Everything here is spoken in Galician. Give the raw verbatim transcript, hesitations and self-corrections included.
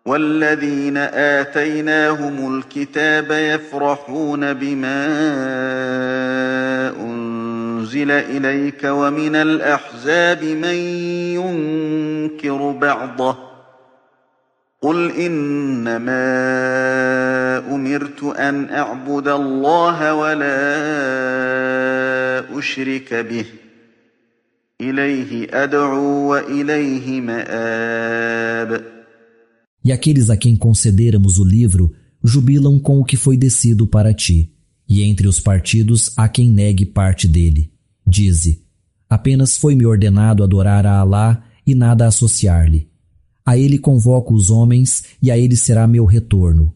والذين آتيناهم الكتاب يفرحون بما أنزل إليك ومن الأحزاب من ينكر بعضه قل إنما أمرت أن أعبد الله ولا أشرك به إليه أدعو وإليه مآب. E aqueles a quem concederamos o livro jubilam com o que foi descido para ti, e entre os partidos há quem negue parte dele. Dize: apenas foi-me ordenado adorar a Alá e nada associar-lhe. A ele convoco os homens e a ele será meu retorno.